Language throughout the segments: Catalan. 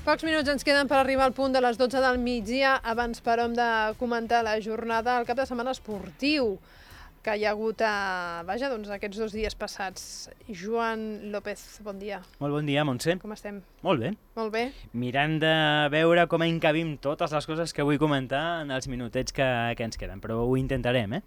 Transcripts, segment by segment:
Pocs minuts ens queden per arribar al punt de les 12 del migdia. Abans, però, hem de comentar la jornada, el cap de setmana esportiu que hi ha hagut aquests 2 dies passats. Joan López, bon dia. Molt bon dia, Montse. Com estem? Molt bé. Molt bé. Mirant de veure com encabim totes les coses que vull comentar en els minutets que ens queden, però ho intentarem,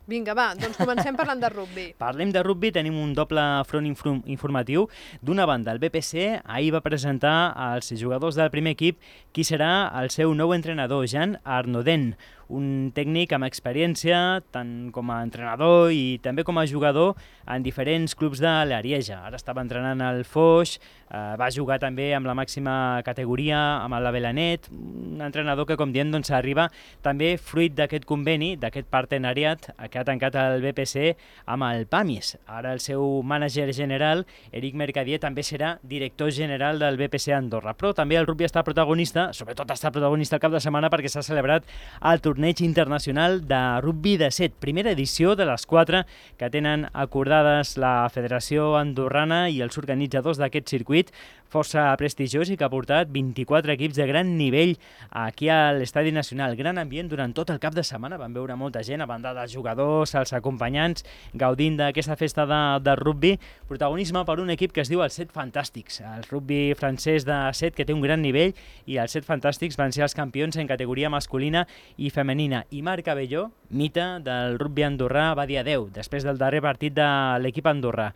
Vinga, va, doncs comencem parlant de rugbi. Parlem de rugbi, tenim un doble front informatiu. D'una banda, el BPC ahir va presentar als jugadors del primer equip qui serà el seu nou entrenador, Jean Arnaudin, un tècnic amb experiència tant com a entrenador i també com a jugador en diferents clubs de l'Arieja. Ara estava entrenant al Foix, va jugar també amb la màxima categoria, amb la Belanet, un entrenador que, com diem, doncs, arriba també fruit d'aquest conveni, d'aquest partenariat que ha tancat el BPC amb el PAMIS. Ara el seu mànager general, Eric Mercadier, també serà director general del BPC Andorra. Però també el rugbi està protagonista, sobretot està protagonista el cap de setmana perquè s'ha celebrat el torneig internacional de rugbi de 7, primera edició de les 4 que tenen acordades la Federació Andorrana i els organitzadors d'aquest circuit, força prestigiós i que ha portat 24 equips de gran nivell aquí a l'Estadi Nacional. Gran ambient durant tot el cap de setmana, van veure molta gent, a banda dels jugadors, els acompanyants, gaudint d'aquesta festa de rugbi. Protagonisme per un equip que es diu els 7 Fantàstics, el rugbi francès de 7 que té un gran nivell, i els 7 Fantàstics van ser els campions en categoria masculina i femenina. I Marc Abelló, mite del rugbi andorrà, va dir adeu després del darrer partit de l'equip andorrà.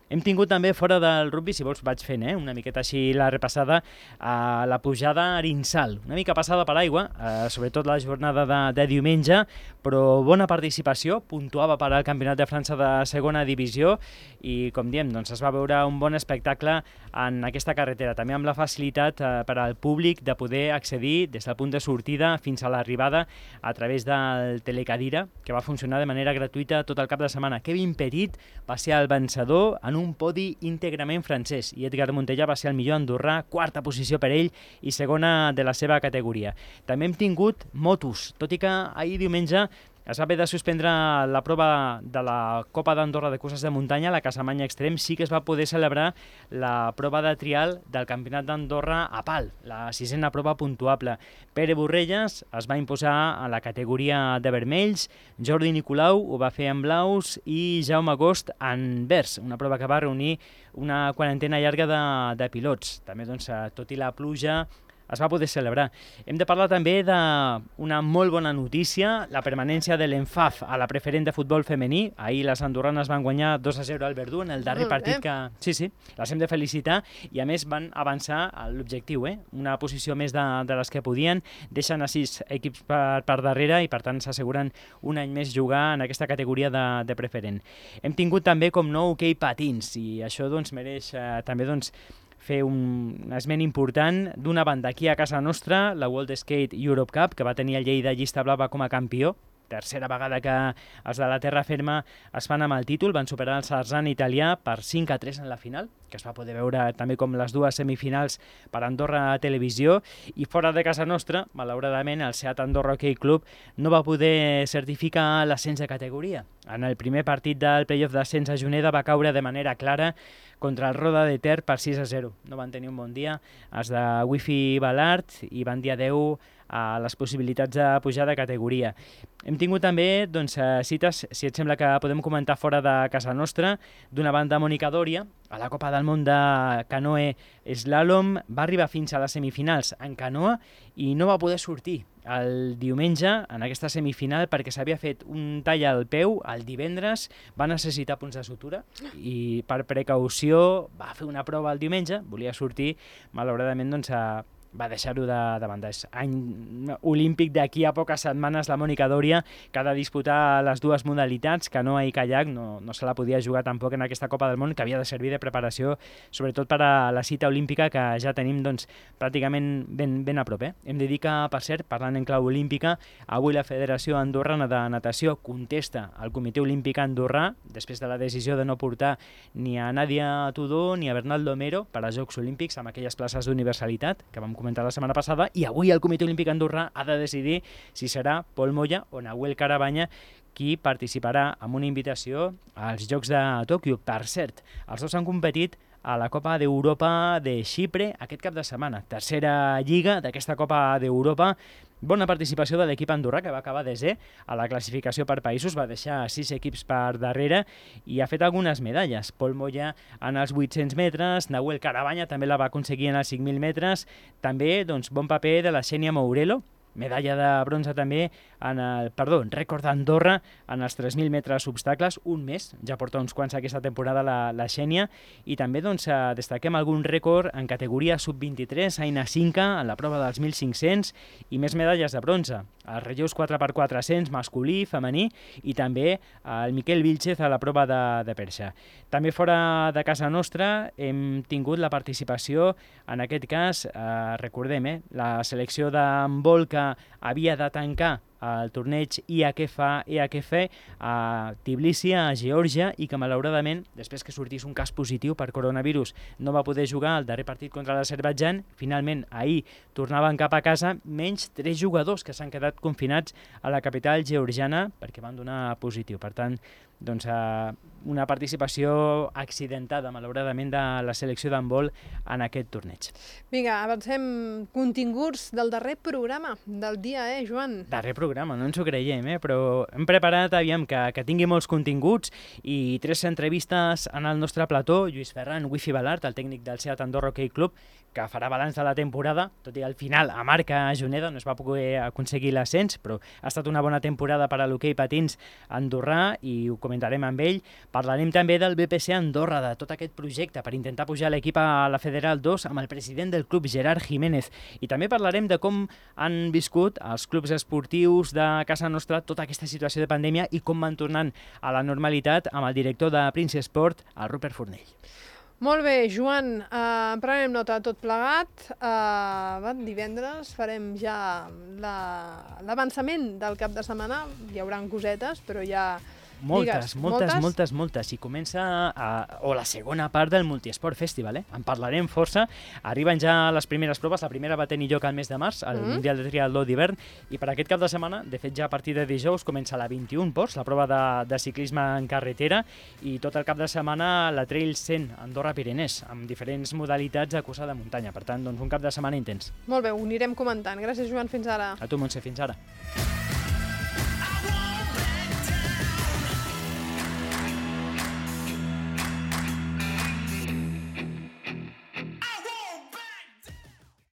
Hem tingut també fora del rugbi, si vols vaig fent una miqueta així la repassada, a la pujada a Arinsal, una mica passada per aigua, sobretot la jornada de diumenge, però bona participació, puntuava per al Campionat de França de segona divisió i, com diem, doncs es va veure un bon espectacle en aquesta carretera, també amb la facilitat per al públic de poder accedir des del punt de sortida fins a l'arribada a través del telecadira, que va funcionar de manera gratuïta tot el cap de setmana. Kevin Petit va ser el vencedor en un podi íntegrament francès i Edgar Montellà va ser el millor andorrà, quarta posició per ell i segona de la seva categoria. També hem tingut motos, tot i que ahir diumenge es va haver de suspendre la prova de la Copa d'Andorra de curses de muntanya, la Casamanya Extrem. Sí que es va poder celebrar la prova de trial del Campionat d'Andorra a pal, la 6a prova puntuable. Pere Borrelles es va imposar a la categoria de vermells, Jordi Nicolau ho va fer en blaus i Jaume Agost en verds, una prova que va reunir una quarantena llarga de pilots. També, doncs, tot i la pluja, es va poder celebrar. Hem de parlar també d'una molt bona notícia, la permanència de l'ENFAF a la preferent de futbol femení. Ahir les andorranes van guanyar 2-0 al Verdú en el darrer partit que... Sí, les hem de felicitar i a més van avançar a l'objectiu, una posició més de les que podien, deixen a 6 equips per darrere i per tant s'asseguren un any més jugar en aquesta categoria de preferent. Hem tingut també com no hoquei patins i això doncs mereix també fer un esment important. D'una banda, aquí a casa nostra, la World Skate Europe Cup, que va tenir el Lleida Llista Blava com a campió, tercera vegada que els de la terra ferma es fan amb el títol, van superar el Sarzan italià per 5-3 en la final, que es va poder veure també com les 2 semifinals per Andorra Televisió, i fora de casa nostra, malauradament, el Seat Andorra Hockey Club no va poder certificar l'ascens de categoria. En el primer partit del playoff d'ascens a Juneda va caure de manera clara contra el Roda de Ter per 6-0. No van tenir un bon dia els de Wi-Fi Balart i van dir adeu a les possibilitats de pujar de categoria. Hem tingut també cites, si et sembla que podem comentar fora de casa nostra. D'una banda, Mònica Dòria, a la Copa del Món de canoe slalom, va arribar fins a les semifinals en canoa i no va poder sortir el diumenge en aquesta semifinal perquè s'havia fet un tall al peu el divendres, va necessitar punts de sutura i per precaució va fer una prova el diumenge, volia sortir, malauradament va deixar-ho de banda. És any olímpic d'aquí a poques setmanes, la Mònica Dòria, que ha de disputar les 2 modalitats, canoa i caiac, no se la podia jugar tampoc en aquesta Copa del Món, que havia de servir de preparació, sobretot per a la cita olímpica que ja tenim pràcticament ben a prop. Hem de dir que, per cert, parlant en clau olímpica, avui la Federació Andorrana de Natació contesta al Comitè Olímpic Andorrà, després de la decisió de no portar ni a Nàdia Tudó ni a Bernal Domero per als Jocs Olímpics amb aquelles places d'universalitat que vam comentar la setmana passada, i avui el Comitè Olímpic Andorrà ha de decidir si serà Pol Moya o Nahuel Carabanya qui participarà amb una invitació als Jocs de Tòquio. Per cert, els dos han competit a la Copa d'Europa de Xipre aquest cap de setmana. Tercera lliga d'aquesta Copa d'Europa. Bona participació de l'equip andorrà, que va acabar desè a la classificació per països, va deixar 6 equips per darrere i ha fet algunes medalles. Pol Moya en els 800 metres, Nahuel Carabanya també la va aconseguir en els 5.000 metres, també bon paper de la Xènia Mourelo, medalla de bronze també rècord d'Andorra en els 3.000 metres obstacles, un més, ja porta uns quants aquesta temporada la Xènia, i també destaquem algun rècord en categoria sub-23, Aina Cinca, en la prova dels 1.500, i més medalles de bronze, els relleus 4x400, masculí, femení, i també el Miquel Vilchez a la prova de perxa. També fora de casa nostra hem tingut la participació, en aquest cas, recordem, la selecció d'handbol que havia de tancar el torneig IHF a Tbilisi, a Geòrgia, i que malauradament, després que sortís un cas positiu per coronavirus, no va poder jugar el darrer partit contra l'Azerbaidjan. Finalment, ahir tornaven cap a casa, menys 3 jugadors que s'han quedat confinats a la capital georgiana perquè van donar positiu. Per tant, una participació accidentada, malauradament, de la selecció d'handbol en aquest torneig. Vinga, avancem continguts del darrer programa del dia, Joan? Darrer programa, no ens ho creiem, però hem preparat, que tingui molts continguts i 3 entrevistes en el nostre plató. Lluís Ferran, Wifi Balart, el tècnic del Seat Andorra Hockey Club, que farà balanç de la temporada, tot i al final a Marca Juneda no es va poder aconseguir l'ascens, però ha estat una bona temporada per a l'hoquei patins andorrà i ho comentarem amb ell. Parlarem també del BPC Andorra, de tot aquest projecte per intentar pujar l'equip a la Federal 2 amb el president del club, Gerard Jiménez. I també parlarem de com han viscut els clubs esportius de casa nostra tota aquesta situació de pandèmia i com van tornant a la normalitat amb el director de Prince Sport, el Rupert Fornell. Molt bé, Joan, prenem nota de tot plegat. Divendres farem ja l'avançament del cap de setmana. Hi haurà cosetes, però ja... Moltes. I comença la segona part del Multiesport Festival. En parlarem força. Arriben ja les primeres proves. La primera va tenir lloc al mes de març, al Mundial de Triatló d'hivern, i per aquest cap de setmana, de fet ja a partir de dijous, comença la 21 Ports, la prova de ciclisme en carretera, i tot el cap de setmana la Trail 100 Andorra-Pirenès, amb diferents modalitats de cursa de muntanya. Per tant, un cap de setmana intens. Molt bé, ho anirem comentant. Gràcies, Joan, fins ara. A tu, Montse, fins ara.